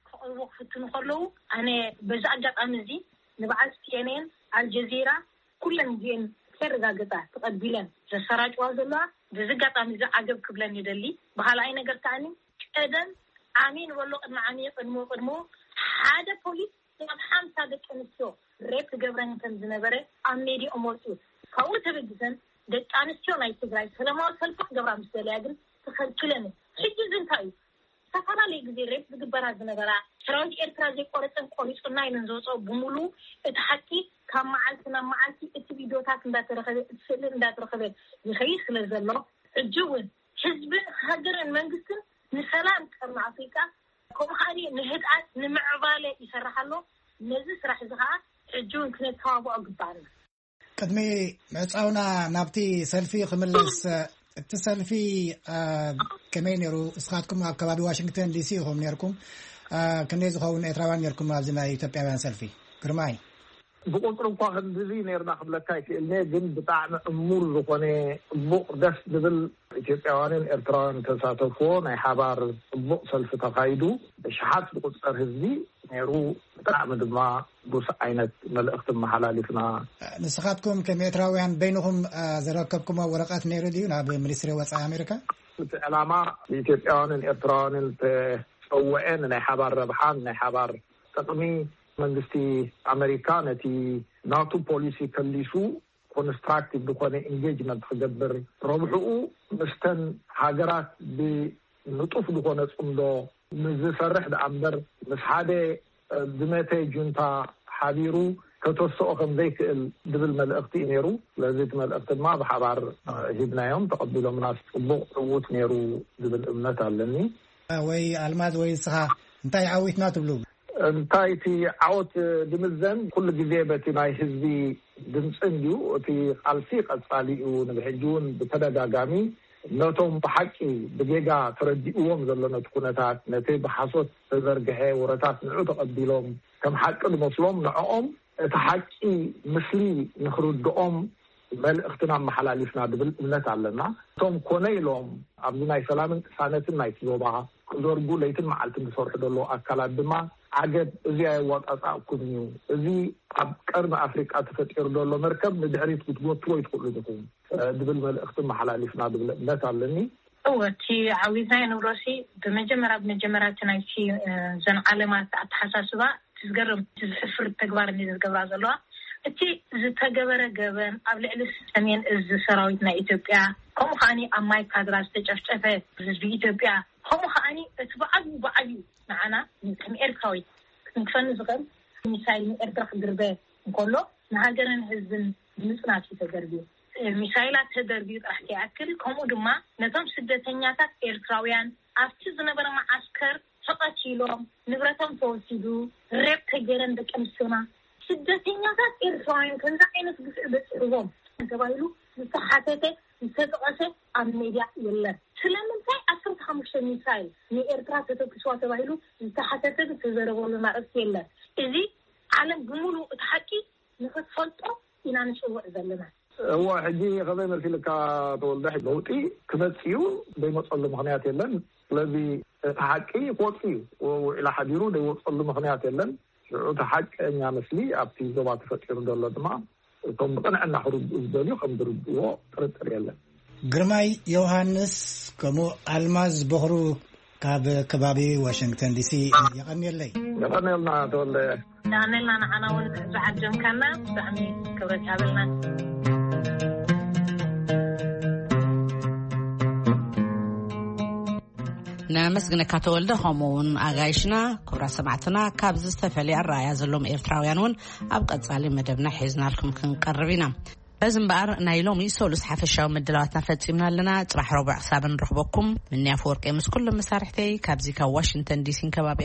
ክቐርቡ ክፍትኑ ከለዉ፣ ኣነ በዚ ኣጋጣሚ እዚ ንበዓል ሲ ኤን ኤን፣ ኣልጀዚራ፣ ኩለን እዚኤን ከረጋግጻ ተቐቢለን ዘሰራጭዋ ዘለዋ፣ በዚ ኣጋጣሚ እዚ ዓገብ ክብለን ይደሊ። ብኻልኣይ ነገር ከኣኒ ቀደም ዓሚ ንበሎ ቅድሚ ዓሚ ቅድሞ ቅድሞ ሓደ ፖሊስ ናብ ሓምሳ ደቂ ኣንስትዮ ሬፕ ክገብረን ከም ዝነበረ ኣብ ሜድያኦም ወፂኡ። ካብኡ ተበጊሰን ደቂ ኣንስትዮ ናይ ትግራይ ሰላማዊ ሰልፊ ክገብራ ምስ ደለያ ግን ተኸልኪለን እየን። ሕጂ እዚ እንታይ እዩ? ዝተፈላለየ ግዜ ሬፕ ዝግበራ ዝነበራ ሰራዊት ኤርትራ ዘይቆረፀን ቆሪፁና ኢለን ዝወፅኦ ብምሉ እቲ ሓቂ ካብ መዓልቲ ናብ መዓልቲ እቲ ቪዲዮታት እንዳተረኸበ እቲ ስእሊ እንዳተረኸበ ይኸይድ ስለ ዘሎ ሕጂ እውን ህዝብን ሃገርን መንግስትን ንሰላም ቀርኒ ኣፍሪቃ ከምኡ ከዓኒ ንህድኣት ንምዕባለ ይሰርሕ ኣሎ። ነዚ ስራሕ እዚ ከዓ ሕጂ እውን ክነተባብዖ ግባኣና። ቅድሚ ምዕፃውና ናብቲ ሰልፊ ክምለስ፣ እቲ ሰልፊ ከመይ ነይሩ? እስኻትኩም ኣብ ከባቢ ዋሽንግተን ዲሲ ኢኹም ነይርኩም። ክንደይ ዝኸውን ኤርትራውያን ነይርኩም ኣብዚ ናይ ኢትዮጵያውያን ሰልፊ? ግርማይ። ብቁፅሪ እኳ ክንድዚ ነይርና ክብለካ ይክእልኒ፣ ግን ብጣዕሚ ዕሙር ዝኾነ ፅቡቕ ደስ ዝብል ኢትዮጵያውያንን ኤርትራውያን ተሳተፍዎ ናይ ሓባር ፅቡቕ ሰልፊ ተኻይዱ። ብሽሓት ዝቁፀር ህዝቢ ነይሩ። ብጣዕሚ ድማ ቡስ ዓይነት መልእኽቲ መሓላሊፍና። ንስኻትኩም ከም ኤርትራውያን በይንኹም ዘረከብኩሞ ወረቐት ነይሩ ድዩ ናብ ሚኒስትሪ ወፃኢ ኣሜሪካ? እቲ ዕላማ ብኢትዮጵያውያንን ኤርትራውያንን ተፀውዐ ንናይ ሓባር ረብሓን ናይ ሓባር ጥቕሚ መንግስቲ ኣሜሪካ ነቲ ናቱ ፖሊሲ ከሊሱ ኮንስትራክቲቭ ዝኾነ ኢንጌጅመንት ክገብር፣ ረብሕኡ ምስተን ሃገራት ብንጡፍ ዝኾነ ፅምዶ ምስ ዝሰርሕ ደኣ እምበር ምስ ሓደ ድመተ ጁንታ ሓቢሩ ከተስኦ ከም ዘይክእል ዝብል መልእኽቲ እዩ ነይሩ። ስለዚ እቲ መልእኽቲ ድማ ብሓባር ሂብናዮም፣ ተቐቢሎምና፣ ፅቡቕ ዕዉት ነይሩ ዝብል እምነት ኣለኒ። ወይ ኣልማዝ ወይ ንስኻ እንታይ ዓዊትና ትብሉ? እንታይ እቲ ዓወት ዝምዘን ኩሉ ግዜ በቲ ናይ ህዝቢ ድምፂ እንድዩ። እቲ ቃልሲ ቀፃሊ እዩ። ንብሕጂ እውን ብተደጋጋሚ ነቶም ብሓቂ ብጌጋ ተረዲእዎም ዘሎ ነቲ ኩነታት፣ ነቲ ብሓሶት ተዘርግሐ ወረታት ንዑ ተቐቢሎም ከም ሓቂ ዝመስሎም ንዕኦም እቲ ሓቂ ምስሊ ንክርድኦም መልእኽትና ኣመሓላሊፍና ዝብል እምነት ኣለና። እቶም ኮነ ኢሎም ኣብዚ ናይ ሰላምን ቅሳነትን ናይቲ ዞባ ክዘርጉ ለይትን መዓልትን ዝሰርሑ ዘለዉ ኣካላት ድማ ዓገብ፣ እዚ ኣየዋጣጣእኩምን እዩ፣ እዚ ኣብ ቀርኒ ኣፍሪቃ ተፈጢሩ ዘሎ መርከብ ንድሕሪት ክትጎትዎ ኣይትኽእሉን ኢኹም ዝብል መልእኽቲ ኣመሓላሊፍና ዝብል እምነት ኣለኒ። እወ፣ እቲ ዓዊትና ንብረሲ ብመጀመርያ ብመጀመርያ እቲ ናይቲ ዘን ዓለማት ኣተሓሳስባ እቲ ዝገርም እቲ ዝሕፍር ተግባር እንዲ ዝገብራ ዘለዋ እቲ ዝተገበረ ገበን ኣብ ልዕሊ ሰሜን እዚ ሰራዊት ናይ ኢትዮጵያ ከምኡ ከዓኒ ኣብ ማይ ካድራ ዝተጨፍጨፈ ህዝቢ ኢትዮጵያ ከምኡ ከዓኒ እቲ ብዓብዩ ብዓብዩ ንዓና ከም ኤርትራዊት ክንክፈኒ ዝኽእል ሚሳይል ንኤርትራ ክድርበ እንከሎ ንሃገርን ህዝብን ምጽናት እዩ ተደርብዩ። ሚሳይላት ተደርብዩ ጥራሕ ከይኣክል ከምኡ ድማ ነቶም ስደተኛታት ኤርትራውያን ኣብቲ ዝነበረ መዓስከር ተቐቲሎም ንብረቶም ተወሲዱ ሬፕ ተገይረን ደቂ ኣንስትዮና ስደተኛታት ኤርትራውያን ከምዚ ዓይነት ግፍዒ በፂሕዎም ተባሂሉ ዝተሓተተ ዝተጠቐሰ ኣብ ሜድያ የለን። ስለምንታይ ዓሰርተ ሓሙሽተ ሚሳይል ንኤርትራ ተተኩስዋ ተባሂሉ ዝተሓተተ ዝተዘረበሉ ኣርእስቲ የለን። እዚ ዓለም ብምሉእ እቲ ሓቂ ንኽትፈልጦ ኢና ንፅውዕ ዘለና። እዎ ሕጂ ከመይ መሲልካ ተወልደ ለውጢ ክመፅእ እዩ ዘይመፀሉ ምኽንያት የለን። ስለዚ እቲ ሓቂ ክወፅእ እዩ። ውዒላ ሓዲሩ ዘይወፀሉ ምኽንያት የለን። ሽዑ እቲ ሓቀኛ ምስሊ ኣብቲ ዞባ ተፈጢሩ ዘሎ ድማ እቶም ብቕንዕና ክርድኡ ዝደልዩ ከም ዝርድእዎ ጥርጥር የለን። ግርማይ ዮሃንስ ከምኡ ኣልማዝ በኽሩ ካብ ከባቢ ዋሽንግተን ዲሲ። የቐንየለይ። የቐንየልና ተወልደ። የቐንየልና። ንዓና እውን ዝዓጀምካና ብጣዕሚ ክብረት ይሃበልና። ነመስግነካ ተወልደ፣ ከምኡ እውን ኣጋይሽና። ክቡራት ሰማዕትና፣ ካብዚ ዝተፈለየ ኣረኣያ ዘለዎም ኤርትራውያን እውን ኣብ ቀጻሊ መደብና ሒዝናልኩም ክንቀርብ ኢና። በዚ እምበኣር፣ ናይ ሎሚ ሰሉስ ሓፈሻዊ ምድላዋትና ፈጺምና ኣለና። ጽባሕ ረቡዕ ክሳብ ንረኽበኩም፣ ምንያ ኣፈወርቂ ምስ ኩሎም መሳርሕተይ ካብዚ ካብ ዋሽንግተን ዲሲን ከባቢኣ